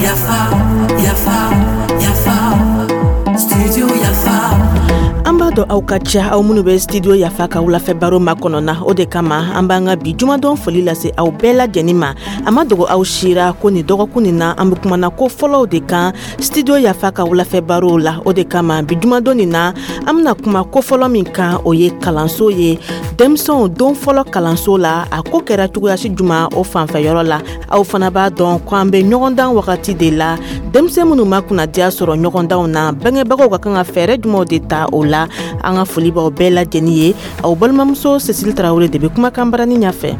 Yafa, yafa, yafa, studio Yafa. An b'a dɔn aw ka ca, aw minnu bɛ Studio Yafa ka wulafɛ baro makɔnɔ na. O de kama an b'an ka bi jumadon foli lase aw bɛɛ lajɛlen ma. A ma dogo aw sira ko nin dɔgɔkun nin na, an bɛ kumana ko fɔlɔw de kan Studio Yafa ka wulafɛ barow la. O de kama bi jumadon nin na, an bɛna kuma ko fɔlɔ min kan, o ye kalanso ye. Denmisɛnw don fɔlɔ kalanso la, a ko kɛra cogoyasi juma o fanfɛyɔrɔ la? Aw fana b'a dɔn ko an bɛ ɲɔgɔndan wagati de la. Denmisɛn minnu ma kunnadiya sɔrɔ ɲɔgɔndanw na, bangebagaw ka kan ka fɛɛrɛ jumɛnw de ta o la? An ka foli b'aw bɛɛ lajɛlen ye. Aw balimamuso Cécile Tarawele de bɛ kumakan barani ɲɛfɛ.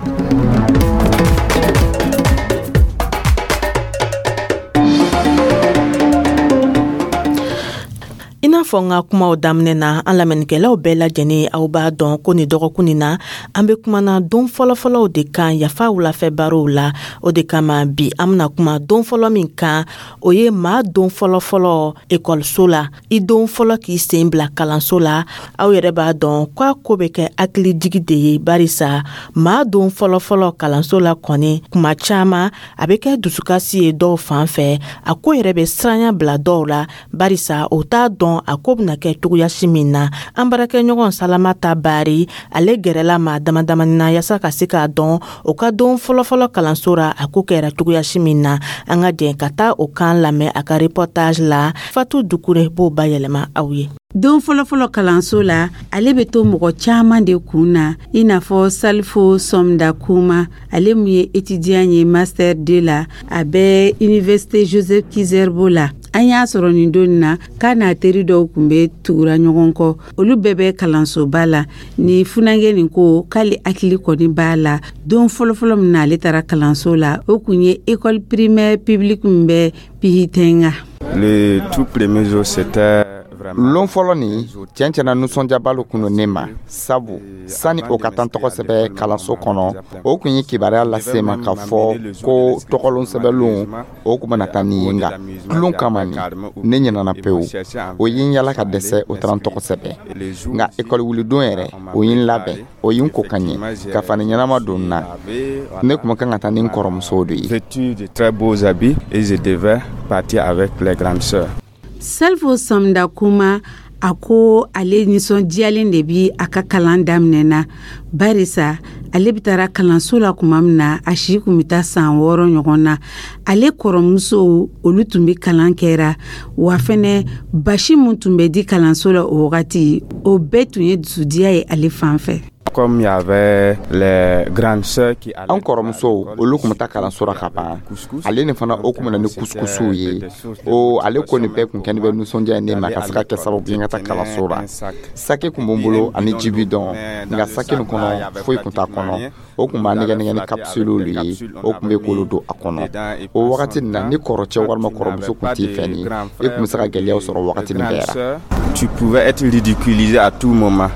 I n'a fɔ n ka kumaw daminɛ na, an lamɛnnikɛlaw bɛɛ lajɛlen, aw b'a dɔn ko nin dɔgɔkun nin na, an bɛ kumana don fɔlɔfɔlɔw de kan Yafa wulafɛ barow la. O de kama bi an bɛna kuma don fɔlɔ min kan, o ye maa don fɔlɔfɔlɔ ekɔliso la, i don fɔlɔ k'i sen bila kalanso la. Aw yɛrɛ b'a dɔn k'a ko bɛ kɛ hakilijigi de ye, barisa maa don fɔlɔfɔlɔ kalanso la kɔni, kuma caman a bɛ kɛ dusukasi ye dɔw fan fɛ. A ko yɛrɛ bɛ siranya bila dɔw la, barisa o t'a dɔn a ko bɛna kɛ cogoyasi min na. An baarakɛɲɔgɔn Salamata Bari, ale gɛrɛla maa dama damani na yaasa ka se k'a dɔn o ka don fɔlɔfɔlɔ kalanso ra, a ko kɛra cogoyasi min na. An ka jɛ ka taa o kan lamɛn a ka reportage la. Fatu Dukure b'o bayɛlɛma aw ye. Don fɔlɔfɔlɔ kalanso la, ale bɛ to mɔgɔ caman de kun na, i n'a fɔ Salifo Sɔmda Kuma, ale mun ye étudiant ye master 2 la, a bɛ université Joseph Kizerbo la. An y'a sɔrɔ nin don na k'a n'a teri dɔw tun bɛ tugura ɲɔgɔn kɔ, olu bɛɛ bɛ kalansoba la. Ni funankɛ nin ko k'ale hakili kɔni b'a la don fɔlɔfɔlɔ min na ale taara kalanso la, o kun ye école primaire publique min bɛ Pihitenga. Le tout premier jour, c'était lon fɔlɔ nin, tiɲɛ tiɲɛna, nisɔndiyaba lo kun don ne ma, sabu sani o ka taa tɔgɔ sɛbɛ kalanso kɔnɔ, o kun ye kibaruya lase ma k'a fɔ ko tɔgɔlon sɛbɛlon o kun bɛna taa nin ye. Nka tulon kama nin, ne ɲinana pewu. O ye n yala ka dɛsɛ, o taara n tɔgɔ sɛbɛ. Nka ekɔli wulidon yɛrɛ, o ye n labɛn, o ye n ko ka ɲɛ ka fani ɲɛnama don n na. Ne kun kan ka taa ni n kɔrɔmusow de ye. Vêtu de très beaux habits et je devais partir avec les grandes sœurs. Salifo Samda Kuma, a ko ale nisɔndiyalen de bi a ka kalan daminɛ na, barisa ale bɛ taara kalanso la tuma min na, a si kun bɛ taa san 6 ɲɔgɔn na. Ale kɔrɔmusow, olu tun bɛ kalan kɛra wa fɛnɛ, basi min tun bɛ di kalanso la o wagati, o bɛɛ tun ye dusudiya ye ale fan fɛ. Comme il y avait les grandes sœurs qui An kɔrɔmusow, olu kun bɛ taa kalanso la ka ban. Ale ni fana, o kun bɛ na ni kusukusuw ye. O ale ko nin bɛɛ kun kɛ ne bɛ nisɔndiya ye ne ma ka se ka kɛ sababu ye n ka taa kalanso la. Saki kun b'n bolo ani jibidɔn, nka saki nin kɔnɔ, foyi kun t'a kɔnɔ. O kun b'a nɛgɛ nɛgɛ ni kapsulew ye, o kun bɛ k'olu don a kɔnɔ. O wagati nin na, ni kɔrɔcɛ walima kɔrɔmuso kun t'i fɛ nin, i kun bɛ se ka gɛlɛyaw sɔrɔ wagati nin bɛɛ la. Tu pouvais être ridiculisé à tout moment.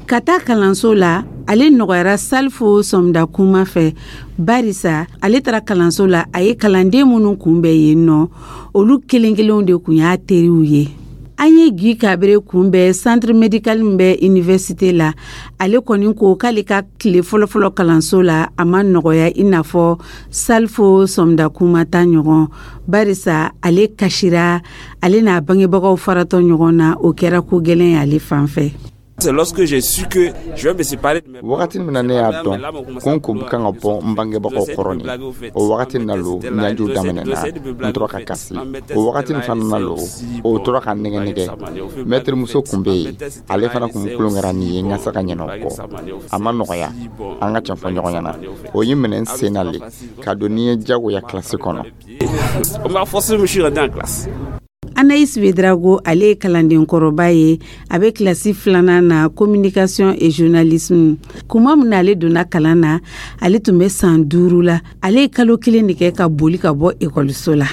Ka taa kalanso la, ale nɔgɔyara Salifo Sɔmda Kuma fɛ, barisa ale taara kalanso la, a ye kalanden minnu kunbɛn yen nɔ, olu kelen kelenw de kun y'a teriw ye. An ye Guy Kabere kunbɛn centre médical min bɛ université la. Ale kɔni ko k'ale ka tile fɔlɔfɔlɔ kalanso la, a ma nɔgɔya i n'a fɔ Salifo Sɔmda Kuma ta ɲɔgɔn, barisa ale kasira, ale n'a bangebagaw faratɔ ɲɔgɔn na, o kɛra ko gɛlɛn ye ale fan fɛ. C'est lorsque j'ai su que je vais me séparer de mes Wagati min na ne y'a dɔn ko n kun kan ka bɔ n bangebagaw kɔrɔ nin, o wagati na lo ɲajiw daminɛna, n tora ka kasi. O wagati nin fana na lo, o tora ka nɛgɛ nɛgɛ. Mɛtiri muso kun bɛ yen, ale fana kun kulon kɛra nin ye n ka se ka ɲinɛ o kɔ. A ma nɔgɔya, an ka tiɲɛ fɔ ɲɔgɔn ɲɛna. O ye minɛ n sen na le ka don ni ye jagoya kilasi kɔnɔ. On m'a forcé, je me suis rendu en classe. Anaïs Ouédraogo, ale ye kalanden kɔrɔba ye, a bɛ kilasi filanan na, communication et journalisme. Kuma min na ale donna kalan na, ale tun bɛ san 5 la. Ale ye kalo 1 de kɛ ka boli ka bɔ ekɔliso la.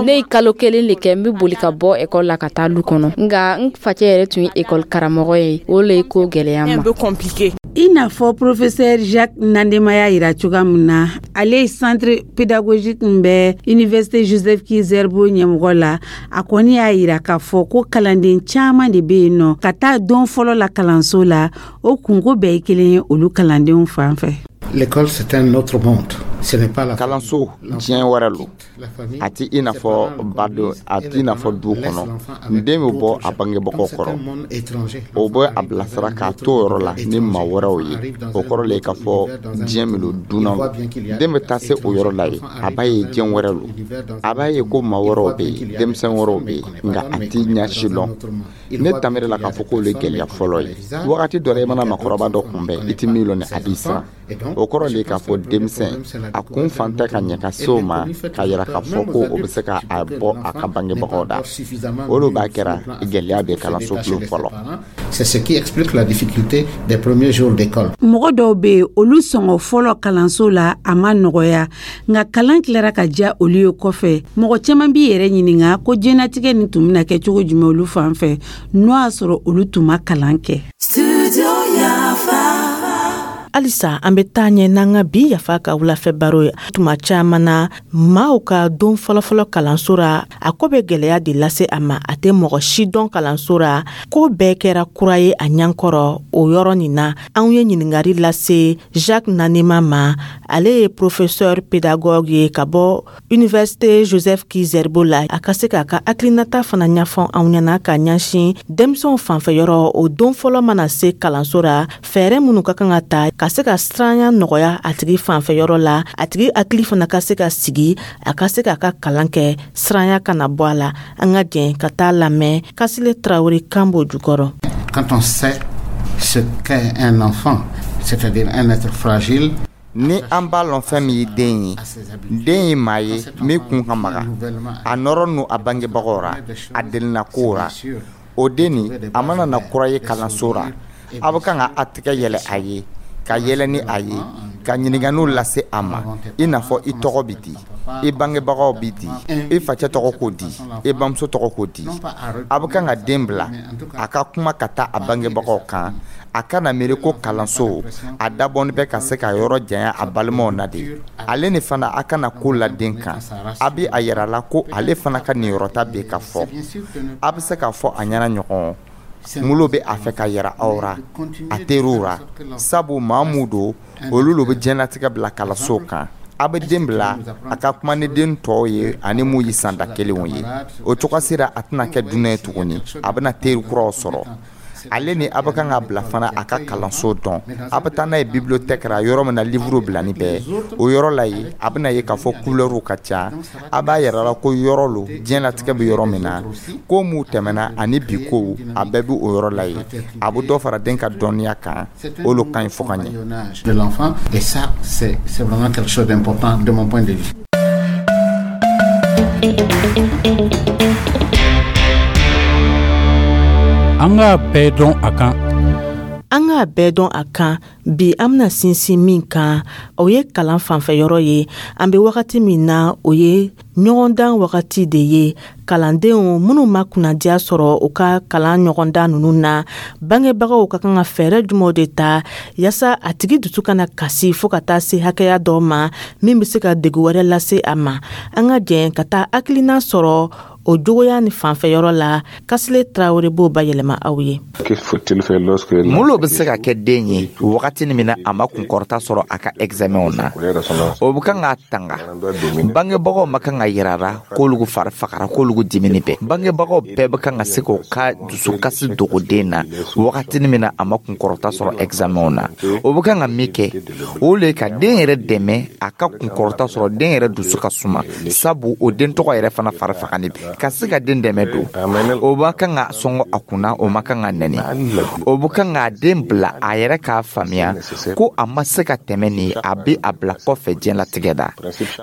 Ne ye kalo 1 de kɛ n bɛ boli ka bɔ ekɔli la ka taa lu kɔnɔ, nka n facɛ yɛrɛ tun ye ekɔli karamɔgɔ ye, o le ye ko gɛlɛya n ma. I n'a fɔ professeur Jacques Nandema y'a yira cogoya min na, ale ye centre pédagogique min bɛ université Joseph Ki-Zerbo ɲɛmɔgɔ la, a kɔni y'a yira k'a fɔ ko kalanden caman de bɛ yen nɔ, ka taa don fɔlɔ la kalanso la, o kunko bɛɛ ye kelen ye olu kalandenw fan fɛ. L'école, c'est un autre monde. Ce n'est pas la Kalanso, diɲɛ wɛrɛ lo. A ti i n'a fɔ baden, a ti i n'a fɔ du kɔnɔ. Den bɛ bɔ a bangebagaw kɔrɔ, o bɛ a bilasira k'a to o yɔrɔ la ni maa wɛrɛw ye. O kɔrɔ le k'a fɔ diɲɛ min don, dunan lo. Den bɛ taa se o yɔrɔ la yen, a b'a ye diɲɛ wɛrɛ lo. A b'a ye ko maa wɛrɛw bɛ yen, denmisɛn wɛrɛw bɛ yen, nka a ti ɲɛ si lɔn. Ne tamiri la k'a fɔ k'o le gɛlɛya fɔlɔ ye. Wagati dɔ la, i mana maakɔrɔba dɔ kunbɛn, i ti min lɔn ni a b'i siran. O kɔrɔ le k'a fɔ denmisɛn a kun fan tɛ ka ɲɛ ka se o ma, k'a yira k'a fɔ ko o bɛ se ka a bɔ a ka bangebagaw da. O de b'a kɛra gɛlɛya bɛ kalanso bulon fɔlɔ. C'est ce qui explique la difficulté des premiers jours d'école. Mɔgɔ dɔw bɛ yen, olu sɔngɔ fɔlɔ kalanso la, a ma nɔgɔya, nka kalan tilara ka diya olu ye kɔfɛ. Mɔgɔ caman b'i yɛrɛ ɲininka ko diɲɛnatigɛ nin tun bɛna kɛ cogo jumɛn olu fan fɛ, n'o y'a sɔrɔ olu tun ma kalan kɛ. Studio Yafa. Halisa an bɛ taa ɲɛ n'an ka bi Yafa ka wulafɛ baro ye. Tuma caman na, maaw ka don fɔlɔfɔlɔ kalanso ra, a ko bɛ gwɛlɛya de lase a ma. A tɛ mɔgɔ si dɔn kalanso ra, ko bɛɛ kɛra kura ye a ɲankɔrɔ. O yɔrɔ nin na, anw ye ɲiningari lase Jacques Nanema ma. Ale ye professeur pédagogue ye ka bɔ Université Joseph Ki-Zerbo la. A ka se k'a ka hakilinata fana ɲɛfɔ anw ɲɛna ka ɲɛsin denmisɛnw fanfɛ yɔrɔ, o don fɔlɔ mana se kalanso ra, fɛɛrɛ minnu ka kan ka ta ka se ka siranya nɔgɔya a tigi fanfɛ yɔrɔ la, a tigi hakili fana ka se ka sigi, a ka se k'a ka kalan kɛ, siranya kana bɔ a la. An ka jɛn ka taa lamɛn Kasile Tarawele kan b'o jukɔrɔ. Quand on sait ce qu'est un enfant, c'est-à-dire un être fragile, Ni an b'a lɔn fɛn min ye den ye, den ye maa ye min kun ka maga, a nɔrɔ n'u a bangebagaw ra, a delina kow ra. O den nin, a mana na kura ye kalanso ra, a bɛ kan ka a tɛgɛ yɛlɛ a ye, ka yɛlɛ ni a ye, ka ɲininkaliw lase a ma, i n'a fɔ: i tɔgɔ bɛ di? I bangebagaw bɛ di? I facɛ tɔgɔ k'o di? I bamuso tɔgɔ k'o di? A bɛ kan ka den bila a ka kuma ka taa a bangebagaw kan. A kana miiri ko kalanso a dabɔni bɛ ka se ka yɔrɔ janya a balimaw na de. Ale ni fana, a kana ko la den kan. A bɛ a yira la ko ale fana ka niyɔrɔta bɛ ka fɔ. A bɛ se k'a fɔ a ɲɛna ɲɔgɔn ngolo bɛ a fɛ ka yira aw ra, a teriw ra, sabu maa mun don, olu lo bɛ diɲɛlatigɛ bila kalanso kan. A bɛ den bila a ka kuma ni den tɔw ye ani mun ye sanda kelenw ye. O cogo sera, a tɛna kɛ dunan ye tuguni, a bɛna teri kuraw sɔrɔ. Ale ni a bɛ kan ka bila fana a ka kalanso dɔn. A bɛ taa n'a ye bibliothèque ra, yɔrɔ min na livre bilani bɛɛ. O yɔrɔ la yen, a bɛna ye k'a fɔ couleurw ka ca. A b'a yɛrɛ la ko yɔrɔ lo, diɲɛlatigɛ bɛ yɔrɔ min na, ko m'u tɛmɛna ani bi kow, a bɛɛ bɛ o yɔrɔ la yen. A bɛ dɔ fara den ka dɔnniya kan. O lo ka ɲi fo ka ɲɛ. De l'enfant, et ça, c'est vraiment quelque chose d'important de mon point de vue. An k'a bɛɛ dɔn a kan. An k'a bɛɛ dɔn a kan. Bi, an bɛna sinsin min kan, o ye kalan fanfɛyɔrɔ ye. An bɛ wagati min na, o ye ɲɔgɔndan wagati de ye. Kalandenw minnu ma kunnadiya sɔrɔ u ka kalan ɲɔgɔndan ninnu na, bangebagaw ka kan ka fɛɛrɛ jumɛnw de ta yaasa a tigi dusu kana kasi fo ka taa se hakɛya dɔ ma min bɛ se ka degun wɛrɛ lase a ma? An ka jɛn ka taa hakilina sɔrɔ o jogoya ni fanfɛyɔrɔ la. Kasile Tarawele b'o bayɛlɛma aw ye. Mun lo bɛ se ka kɛ den ye wagati min na a ma kunkɔrɔta sɔrɔ a ka examenw na? O bɛ kan k'a tanga. Bangebagaw ma kan ka yira la k'olu fari fagara, k'olu dimini bɛɛ. Bangebagaw bɛɛ bɛ kan ka se k'o ka dusukasi dogo den na wagati min na a ma kunkɔrɔta sɔrɔ examenw na. O bɛ kan ka min kɛ, o le ye ka den yɛrɛ dɛmɛ a ka kunkɔrɔta sɔrɔ, den yɛrɛ dusu ka suma, sabu o den tɔgɔ yɛrɛ fana fari fagani ka se ka den dɛmɛ don. O ma kan ka sɔngɔ a kunna, o ma kan ka nɛni. O bɛ kan k'a den bila a yɛrɛ k'a faamuya ko a ma se ka tɛmɛ nin, a bɛ a bila kɔfɛ diɲɛlatigɛ la.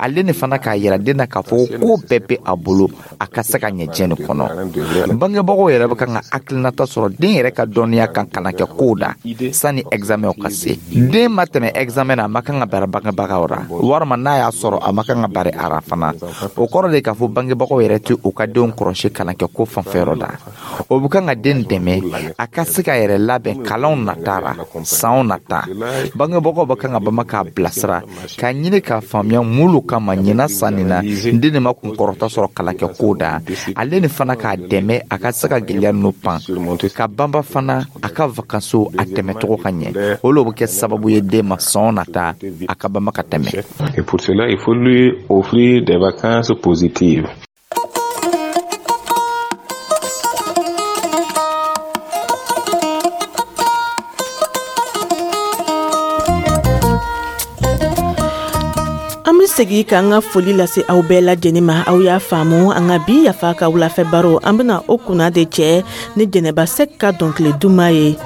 Ale ni fana k'a yira den na k'a fɔ ko bɛɛ bɛ a bolo a ka se ka ɲɛ diɲɛ nin kɔnɔ. Bangebagaw yɛrɛ bɛ kan ka hakilinata sɔrɔ den yɛrɛ ka dɔnniya kan kalan kɛ kow la sani examenw ka se. Den ma tɛmɛ examen na, a ma kan ka bari bangebagaw ra, walima n'a y'a sɔrɔ, a ma kan ka bari a ra fana. O kɔrɔ de k'a fɔ bangebagaw yɛrɛ tɛ u ka ka denw kɔrɔsi kalankɛko fanfɛyɔrɔ la. O bɛ kan ka den dɛmɛ a ka se ka yɛrɛ labɛn kalanw nata ra, sanw nata. Bangebagaw bɛ kan ka banba k'a bilasira, k'a ɲini k'a faamuya mun lo kama ɲinan san nin na den nin ma kunkɔrɔta sɔrɔ kalankɛko da. Ale ni fana k'a dɛmɛ a ka se ka gɛlɛya ninnu pan, ka banba fana a ka vakansiw a tɛmɛcogo ka ɲɛ. O lo bɛ kɛ sababu ye den ma san nata a ka banba ka tɛmɛ. Et pour cela, il faut lui offrir des vacances positives. An be segi k'an ka foli lase aw bɛɛ lajɛnin ma. Aw y'a faamu, an ka bi Yafa ka wulafɛ baro, an bena o kunna de cɛ ni Jɛnɛba Sɛk ka dɔnkili duman ye.